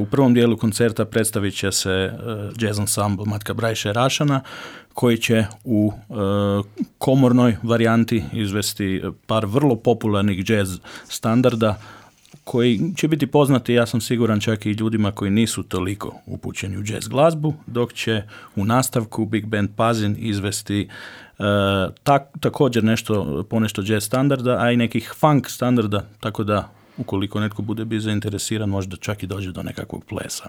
U prvom dijelu koncerta predstavit će se jazz ensemble Matka Brajše Rašana, koji će u komornoj varijanti izvesti par vrlo popularnih jazz standarda, koji će biti poznati, ja sam siguran, čak i ljudima koji nisu toliko upućeni u jazz glazbu, dok će u nastavku Big Band Pazin izvesti također ponešto jazz standarda, a i nekih funk standarda, tako da ukoliko netko bude bio zainteresiran, možda čak i dođe do nekakvog plesa.